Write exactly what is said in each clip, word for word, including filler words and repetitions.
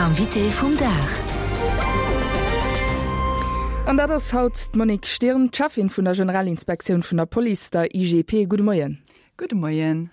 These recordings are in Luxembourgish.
L'invité vum Dag. An dat ass haut d'Monique Stirn, Cheffin vun der Generalinspektioun vun der Police, der I G P. Gudde Moien. Gudde Moien.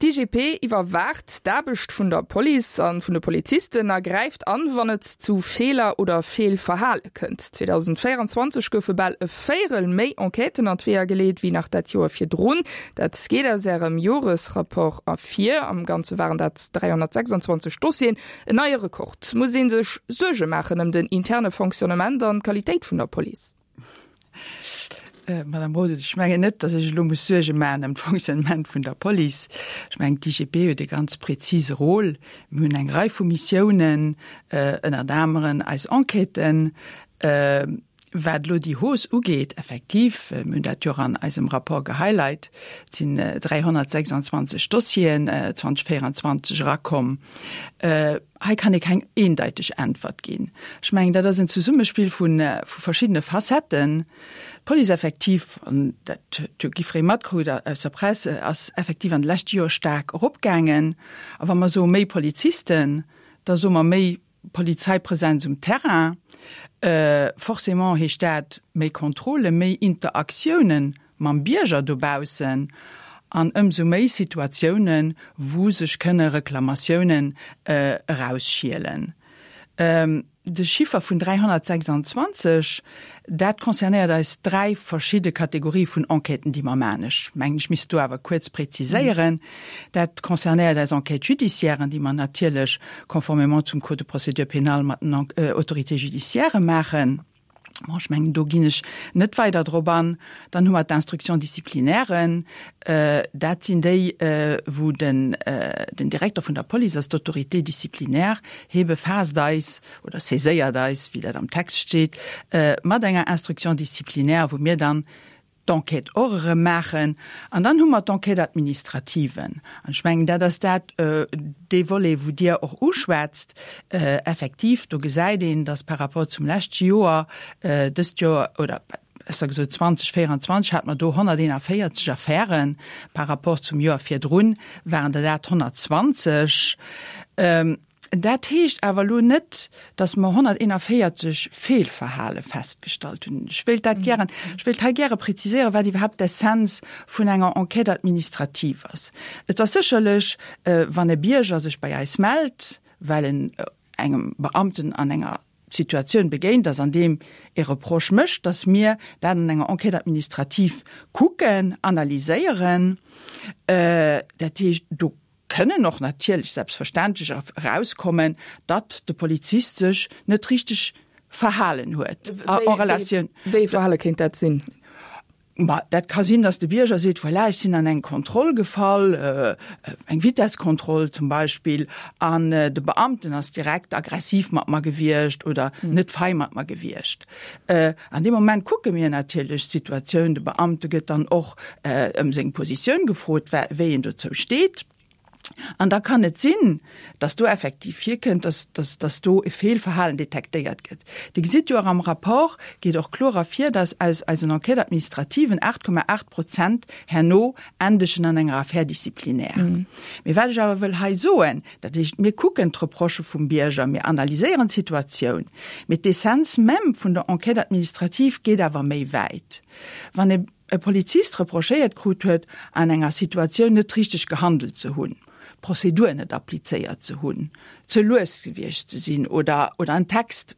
D'I G P iwwerwaacht d'Aarbecht vun der Police a vun de Polizisten a gräift an, wann et zu Feeler oder Feelverhale kënnt. zweedausendvéierenzwanzeg goufe bal e Véierel méi Enquêten an d'Weeër geleet wéi nach dat Joer virdrun. Dat geet aus ärem Joresrapport ervir. Am Ganze waren dat dräihonnertsechsanzwanzeg Dossieren, en neie Rekord. Muss ee sech Suerge maachen ëm den interne Fonctionnement an d'Qualitéit vun der Police? Äh, Madame Rode, ech mengen net, dass ech lo muss Suerge maachen ëm d'Fonctionnement vun der Police. Ech mengen, d'I G P huet e ganz präzise Rôle. Mir hunn eng Rei vu Missiounen, äh, ënner aneren eis Enquêten, äh, wat lo déi Hausse ugeet, effektiv, äh, mir hunn dat jo an eisem Rapport gehighlight, sinn äh, dräihonnertsechsanzwanzeg Dossieren äh, zweedausendvéierenzwanzeg erakomm. Äh, hei kann ech keng eendeiteg Äntwert ginn. Ech mengen, dat ass en Zesummespill vun, äh, vu verschiddene Facetten. D'Police effektiv, an dat huet jiddweree matkritt aus der Press, ass effektiv an de leschte Joer staark eropgaangen. Awer wa mer soe méi Polizisten, da soe mer méi Polizeipräsenz um Terrain. Äh, forcément heescht dat méi Kontrolle, méi Interaktiounen mam Bierger dobaussen an ëmsou méi Situatiounen, wou sech kënne Reklamatiounen äh, erausschielen. Ähm, de Chiffer vun dräihonnertsechsanzwanzeg, dat concernéiert eis dräi verschidde Kategorie vun Enquêten, déi mer maachen. Ech mengen, ech misst do awer kuerz präziséieren. Mhm. Dat concernéiert eis Enquête judiciaire, déi mer natierlech conformément zum Code de procédure pénale mat den äh, Autorités judiciaires maachen. Bon, ech mengen, do ginn ech net weider drop an. Dann hu mer d'Instruction disciplinaire, äh, dat sinn déi, äh, wou den, äh, den Direkter vun der Police als Autorité disciplinaire hie befaasst eis oder saiséiert eis, wéi dat am Text steet, äh, mat enger Instruction disciplinaire, wou mir dann d'Enquête och erëm maachen. An dann hu mer d'Enquête administrative. An ech mengen, dat ass dat äh, dee Volet, wou Dir och uschwätzt, äh, effektiv, do gesäit een, dass par rapport zum leschte Joer, äh, dëst Joer oder besser gesot zweedausendvéierenzwanzeg hate mer do honnerteeënvéierzeg Affären, par rapport zum Joer virdrun waren dat honnertzwanzeg. Ähm, dat heescht awer lo net, dass mer honnerteeënvéierzeg Feelverhale festgestallt hunn. Ech wëll dat gären, ech wëll hei gäre präziséieren, wat iwwerhaapt d'Essenz vun enger Enquête administrative ass. Et ass sécherlech, äh, wann e Bierger sech bei eis mellt, well en äh, engem Beamten an enger Situatioun begéint ass, an deem e Reproche mécht, dass mir dat an enger Enquête administrative kucken, analyséieren. Äh, dat heescht, do kënnen och natierlech selbstverständlech erauskommen, datt de Polizist sech net richteg verhalen huet. En Relatioun. Wéi Verhale kéint dat sinn? Ma, dat ka sinn, dass de Bierger seet, voilà, ech sinn an eng Kontroll gefall, äh, eng Vitesskontroll zum Beispill, an äh, de Beamten ass direkt aggressiv mat mer gewiescht oder mhm. net fein mat mer gewiescht. Äh, an deem Moment kucke mir natierlech d'Situatioun, de Beamte gëtt dann och äh, ëm seng Positioun gefrot, wéi en dozou steet. An da kann et sinn, dass do effektiv virkënnt, dass, dass, dass do e Feelverhalen detektéiert gëtt. Dir gesitt jo am Rapport geet och kloer ervir, dass aus eisen Enquête administrativen aacht Komma aacht Prozent herno endegen an enger Affaire disciplinaire. Mhm. Mee wat ech awer wëll hei soen, dat heescht, mir kucken d'Reprochë vum Bierger, mir analyséieren d'Situatioun. Mee d'Essenz même vun der Enquête administrative geet awer méi wäit. Wann e e Polizist reprochéiert kritt huet, an enger Situatioun net richteg gehandelt ze hunn, Prozedur net applizéiert ze hunn, ze lues gewiescht ze sinn oder, oder en Text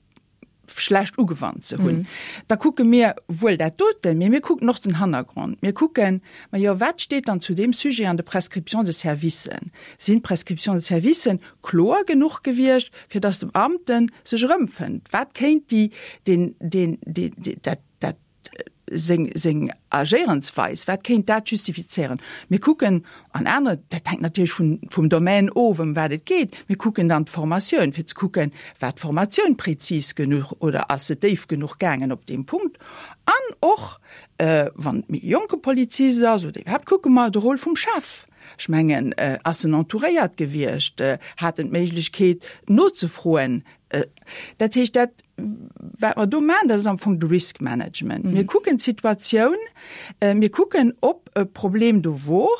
schlecht ugewannt ze hunn. Mm. Da kucke mir wuel dat doten, mee mir kucken och den Hannergrond. Mir kucken, ma jo, wat steet dann zu deem Sujet an de Prescriptions de service? Sinn d'Prescriptions de service kloer genuch gewiescht, fir dass de Beamten sech erëmfënnt? Wat kéint déi den, den, den, den, dat, dat seng, seng Agéierensweis, wat kéint dat justifizéieren? Mir kucken an aner, dat hänkt natierlech vun, vum Domaine of, ëm wat et geet. Mir kucken dann d'Formatioun, fir ze kucken, war d'Formatioun präzis genuch oder ass se déif genuch gaangen op deem Punkt. An och, äh, wann et méi jonke Polizist ass oder iwwerhaapt kucke mer de Rôle vum Chef. Ech mengen, äh, ass en entouréiert gewiescht, äh, hat en d'Méiglechkeet nozefroen. Äh, dat heescht, dat, wat mer do maachen, dat ass am Fong de Risk Management. Mhm. Mir kucken d'Situatioun, äh, mir kucken, ob e Problem do wor,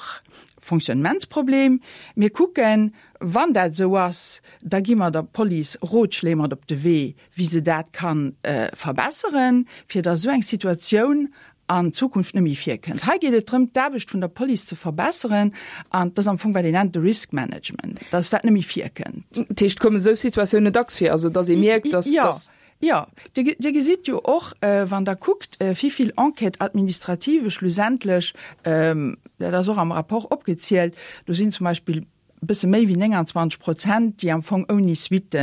Fonctionnementsproblem, mir kucken, Wann dat esou ass, da gi mer der Police Rotschléi mat op de Wee, wéi se dat ka verbesseren, fir datt esou eng Situatioun an Zukunft net méi virkënnt. Hei geet et drëm, d'Aarbecht vun der Police ze verbesseren, an dat ass am Fong, wat een nennt de Risk Management, datt dat net méi virkënnt. Dat heescht, kommen esou Situatiounen dacks vir, also datt ee mierkt, datt. Jo, jo. Dir, Dir gesitt jo och, wann Der kuckt, wéi vill Enquête-administrativë schlussendlech, dat ass och am Rapport opgezielt, do sinn zum Beispill bësse méi wéi nénganzwanzeg Prozent, déi am Fong ouni Suitte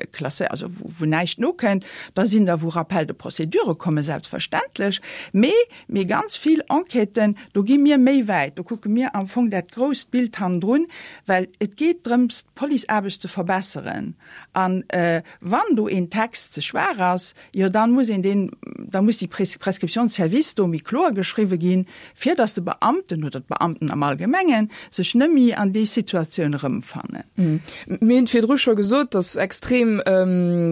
klassé, also wou näischt nokënnt. Da sinn der, wou Rappel de procédure kommen, selbstverständlech. Mee, mee ganz vill Enquêten, do gi mir méi wäit, do kucke mir am Fong dat grousst Bild hannendrun, well et geet drëms, d'Policeaarbecht ze verbesseren. An wann do een Text ze schwaach ass, jo dann muss een deen, da muss déi Prescription de service do méi kloer geschriwwe ginn, fir datt de Beamten oder d'Beamten am Allgemengen sech nëmmi an déi Situatioun erëmfannen. Mir hunn virdru scho gesot, datt extrem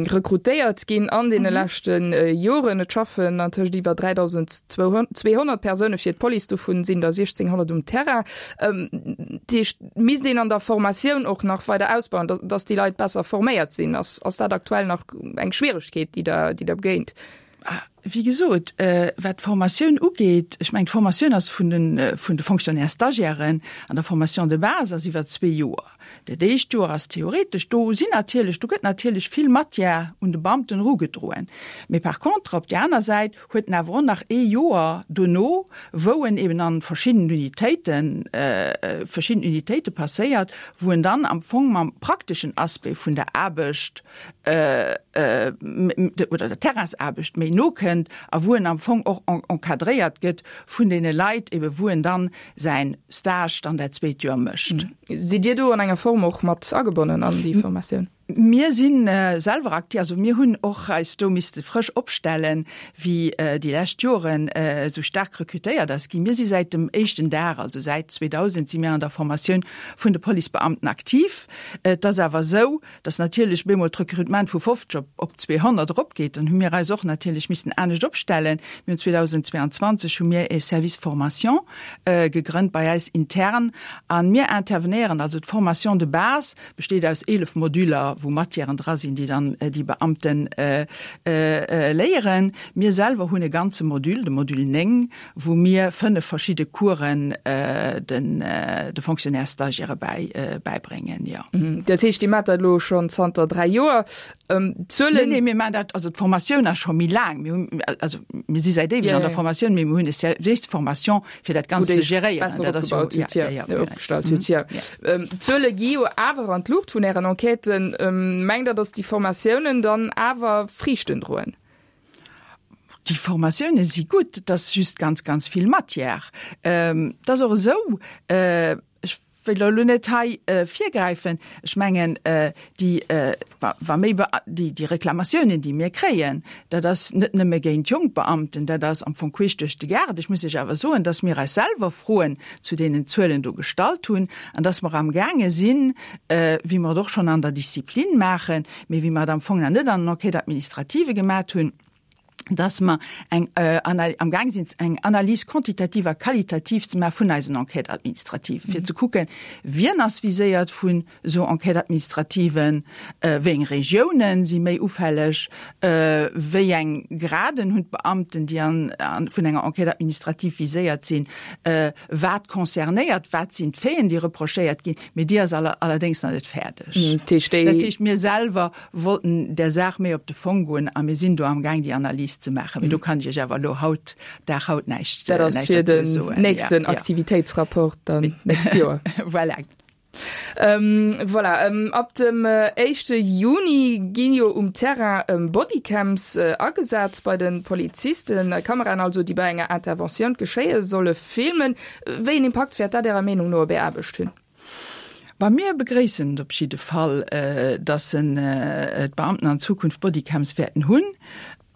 rekrutéiert ginn an deene leschte Joren. Et schaffen antëscht iwwer dräidausendzweehonnert Persoune fir d'Police, dovun sinn der siechzénghonnert um Terrain. Dat heescht, misst een an der Formatioun och nach weider ausbauen, datt déi Leit besser forméiert sinn? Ass dat aktuell nach eng Schwieregkeet, déi Der, déi Der begéint? Wéi gesot, wat d'Formatioun ugeet, ech mengen, d'Formatioun ass vun de, vun de Fonctionnaires-stagiairen an der Formation de base ass iwwer zwee Joer. Dat éischt Joer ass theoretesch, do sinn natierlech, do gëtt natierlech vill Matière un de Beamten erugedroen. Mee par contre, op där aner Säit huet en awer och nach ee Joer dono, wou en eben an verschiddenen Unitéiten, verschidden Unitéite passéiert, wou en dann am Fong mam prakteschen Aspect vun der Aarbecht oder der Terrainsaarbecht méi no kënnt a wou en am Fong och encadréiert gëtt vun deene Leit eben, wou en dann säin Stage dann dat zweet Joer mécht. Sidd Dir do an enger Form och mat agebonnen an déi Formatioun? Mir si selwer aktiv, also mir hunn och eis do misste frësch opstellen, wéi déi lescht Joren esou staark rekrutéiert ass ginn. Mir si säit dem éischten Dag, also säit zweedausend si mir an der Formatioun vun de Policebeamten aktiv. Et ass awer esou, datt natierlech bemol d'Rekrutement vu fofzeg op zweehonnert eropgeet. Dann hu mir eis och natierlech missten anescht opstellen. Mir hunn zweedausendzweeanzwanzeg hu mir e Service formation gegrënnt bei eis intern a mir intervenéieren, also d'Formation de base besteet aus eelef Modüler, wou Matièren dra sinn, déi dann déi Beamten léieren. Mir selwer hunn e ganze Module, de Module néng, wou mir fënnef verschidde Coursen de Fonctionnaires-stagiairë bäibréngen, jo. Dat heescht, Dir maacht dat elo schonn zanter dräi Joer. D'Zuelen. Nee, nee, mir maachen dat, also d'Formatioun ass scho méi laang. Mir hunn, also mir si säit éiweg an der Formatioun, mee mir hunn e Service formation, fir dat Ganzt ze geréieren. Dat ass jo, ja, ja, ja. Opgestallt hutt, jo. D'Zuele gi jo awer an d'Luucht vun Ären Enquêten. Mengt Der, datt déi Formatiounen dann awer Friichten droen? Déi Formatioune si gutt, et ass just ganz, ganz vill Matière. Et ass och esou, ech wëll elo net hei virgräifen, ech mengen, déi, wa méi, déi Reklamatiounen, déi mir kréien, dat ass net nëmme géint jonk Beamten, dat ass am Fong queesch duerch de Gaart. Ech muss lech awer soen, datt mir eis selwer Froen zu deenen Zuelen do gestallt hunn an datt mer amgaange sinn, wéi mer et och schonn an der Disziplin maachen, mee wéi mer et am Fong nach net an den Enquêtes administratives gemat hunn, dass mer eng am Gaang sinn, eng Analyse quantitative a qualitativ ze maache vun eisen Enquêtes administratives, fir ze kucken, wien ass viséiert vun esou Enquêtes administrativen, wéi eng Regiounen si méi ufälleg, wéi eng Graden hunn d'Beamten, déi an vun enger Enquête administrative viséiert sinn, wat concernéiert, wat sinn d'Faiten, déi reprochéiert ginn. Mee déi ass allerdéngs nach net fäerdeg. Dat heescht, mir selwer wollten där Saach méi op de Fong goen a mir sinn do amgaang, déi Analys ze maachen. Mee do kann ech Iech awer elo haut, Dag haut näischt Dat ass fir dozou den soen. nächsten Ja, ja. Aktivitéitsrapport dann nächst Joer. Voilà. Voilà, ab dem éischte Juni ginn jo um Terrain Bodycams agesat bei de Polizisten. Kameraen also, déi bei enger Interventioun d'Geschéie solle filmen. Wéi een Impakt wäert dat Ärer Meenung no op Är Aarbecht hunn? Bah, mir begréissen et op jidde Fall, dass d'Beamten an Zukunft Bodycams wäerten hunn.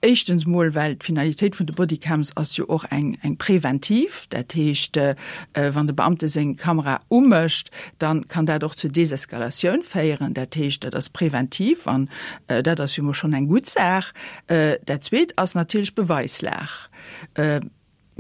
Éischtens mol, well d'Finalitéit vun de Bodycams ass jo och eng eng präventiv. Dat heescht, wann de Beamte seng Kamera umécht, da kann dat och zur Deseskalatioun féieren. Dat heescht, dat ass präventiv an dat ass jo mol schonn eng gutt Saach. Dat Zweet ass natierlech d'Beweislag.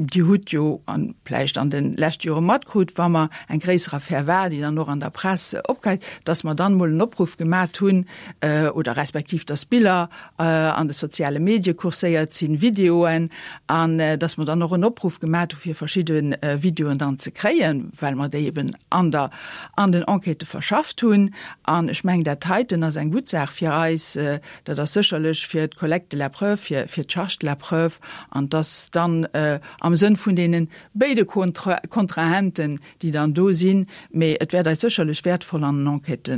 Dir hutt jo an, vläicht an de leschte Jore matkrut, wa mer eng gréisser Affär war, déi dann och an der Press opkeimt, dass mer dann emol en Opruff gemat hunn oder respektiv dass Biller an de soziale Medie kurséiert sinn, Videoen, an dass mer dann och en Opruff gemat hu fir verschidde Videoen dann ze kréien, well mer déi eben an der, an den Enquêtë verschafft hunn. An ech mengen, dat heiten ass eng gutt Saach fir eis. Dat ass sécherlech fir d'Collecte de la preuve, fir, fir d'Charge de la preuve, an dass dann am Sënn vun deene béide Kontrahenten, déi dann do sinn, mee et wäert eis sécherlech wäertvoll an den Enquêtë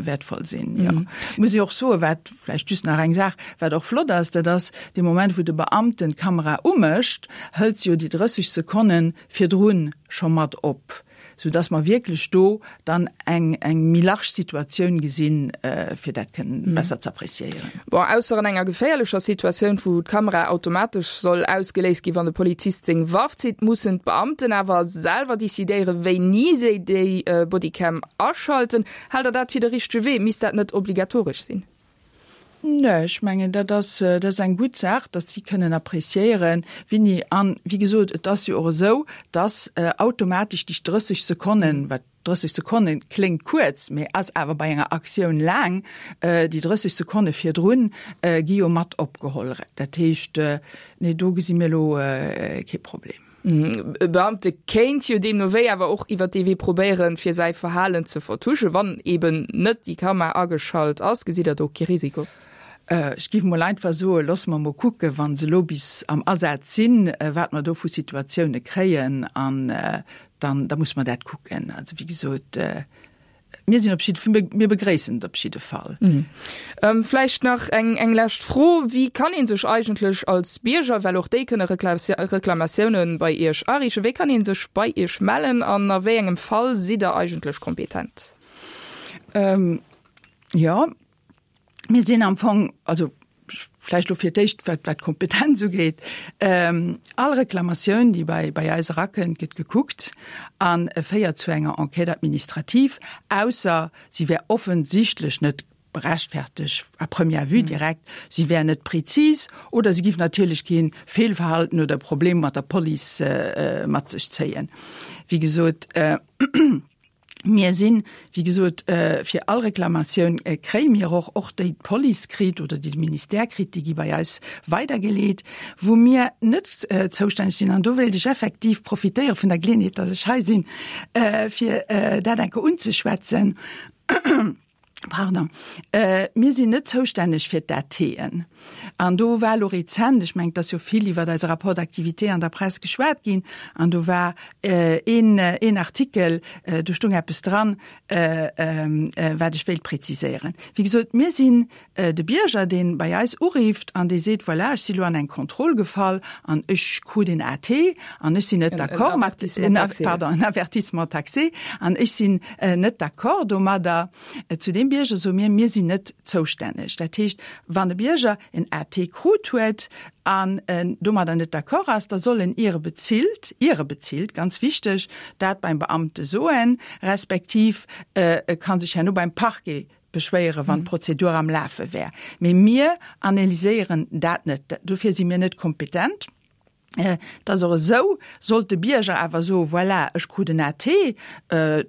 wäertvoll sinn, jo. Muss ech och soen, wat vläicht just nach eng Saach, wat och flott ass, dat ass, dee Moment, wou de Beamten d'Kamera umécht, hëlt se jo déi drësseg Sekonne virdrun scho mat op. sou dass mer wierklech do dann eng eng méi large Situatioun gesinn, fir dat kënnen besser ze appréciéieren. Bon, ausser an enger geféierlecher Situatioun, wou d'Kamera automatesch soll ausgeléist ginn, wann de Polizist seng Waff zitt, mussen d'Beamten awer selwer decidéieren, wéini si déi Bodycam aschalten. Haalt Der dat fir de richtege Wee? Misst dat net obligatoresch sinn? Nee, ech mengen, dat ass, dat ass eng gutt Saach, datt si kënnen appréciéieren, wéini. An, wéi gesot, et ass jo och esou, datt automatesch déi drësseg Sekonnen, wat drësseg Sekonne kléngt kuerz, mee ass awer bei enger Aktioun laang, déi drësseg Sekonne virdrun gi jo mat opgeholl. Dat heescht, nee, do gesi mir elo kee Problem. E Beamte kéint jo deemno wéi awer och iwwer dee Wee probéieren, fir säi Verhalen ze vertuschen, wann eben net déi Kamera ageschalt ass. Gesitt Der do kee Risiko? Ech géif mol einfach soen, loosse mer mol kucken, wa se elo bis am Asaz sinn, wat mer do vu Situatioune kréien, an dann da musse mer dat kucken. Also wéi gesot, Mir sinn op jidde, mir begréissen et op jidde Fall. Vläicht nach eng eng lescht Fro, Wéi kann ee sech eigentlech als Bierger, well och déi kënne Reklamatioune bei Iech ariichten, wéi kann ee sech bei Iech mellen an a wéi engem Fall sidd Der eigentlech kompetent? Jo, mir sinn am Fong, also vläicht elo fir d'éischt, wat wat d'Kompetenz ugeet, All Reklamatioun, déi bei bei eis erakënnt, gëtt gekuckt a féiert zu enger Enquête administrative, ausser si wär offensichtlech net berechtfertegt à première vue direkt, si wär net prezis oder si giff natierlech kee Feelverhalten oder Problem mat der Police mat sech zéien. Wéi gesot, Mir sinn, wéi gesot, fir all Reklamatioun kréie mir och, och déi d'Police kritt oder déi de Ministère kritt, déi gi bei eis weidergeleet, wou mir net zoustänneg sinn. An do wéilt ech effektiv profitéiere vun der Geleeënheet, dass ech hei sinn, fir dat eng Kéier unzeschwätzen. Pardon. Mir sinn net zoustänneg fir d'ATen. An do war elo rezent, ech mengen, et ass jo vill iwwert eise Rapport d'activité an der Press geschwat ginn, an do war een, een Artikel, do stoung eppes dran, wat ech wéilt präziséieren. Wéi gesot, mir sinn de Bierger, dee bei eis urifft an dee seet, Voilà, ech si lo an eng Kontroll gefall an ech krut een AT an ech sinn net d'accord mat, pardon, en Avertissement taxé an ech sinn net d'accord domadder. Zu deem Bierger soe mir, Mir sinn net zoustänneg. Dat heescht, wann e Bierger en A T krut huet an en domadder net d'accord ass, da soll en ier e bezilt, ier e bezilt, ganz wichteg, dat beim Beamte soen, respektiv e ka sech herno beim Parquet beschwéieren, wann d'Prozedur am Lafe wär. Mee mir analyséieren dat net. Dofir si mir net kompetent. Et ass och esou, sollt de Bierger awer soen, Voilà, ech krut en A T,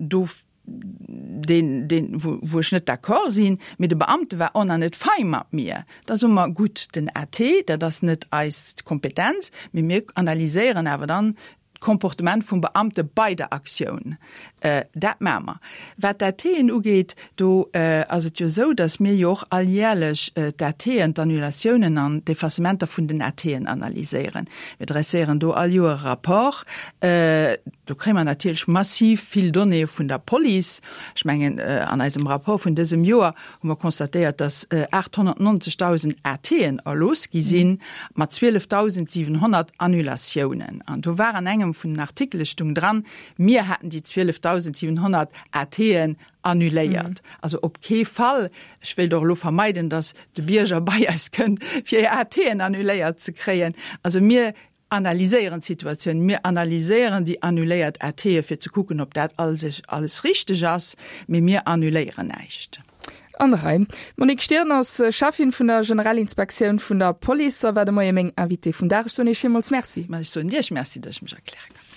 do deen, deen, wou, wou ech net d'accord sinn, mee de Beamte war och nach net fei mat mir, da soe mer, gutt, den A T, dat ass net eis Kompetenz, mee mir analyséieren awer dann d'Comportement vum Beamte bei der Aktioun. Dat maache mer. Wat d'A Tën ugeet, do ass et jo esou, datt mir jo och alljährlech d'A Tën, d'Annulatiounen an d'Effacementer vun den A Tën analyséieren. Mir dresséieren do all Joer e Rapport. Do kréie mer natierlech massiv vill Donnéeë vun der Police. Ech mengen, an eisem Rapport vun dësem Joer hu mer constatéiert, datt aathonnertnonzegdausend A Tën erlooss gi sinn, mat zwielefdausendsiwenhonnert Annulatiounen. An do war an engem vun den Artikele stung dran, mir hätten déi zwielefdausendsiwenhonnert A Tën annuléiert. Also op kee Fall, ech wéilt och elo vermeiden, datt de Bierger bei eis kënnt, fir hir A Tën annuléiert ze kréien. Also mir analyséieren d'Situatioun, mir analyséieren déi annuléiert A Tën, fir ze kucken, ob dat alles richteg ass, mee mir annuléieren näischt. An der Rei. D'Monique Stirn ass Cheffin vun der Generalinspektioun vun der Police a war de Moie meng Invitée vum Dag. Ech soen Iech villmools Merci. Ma ech soen Iech Merci, datt ech mech erkläre kann.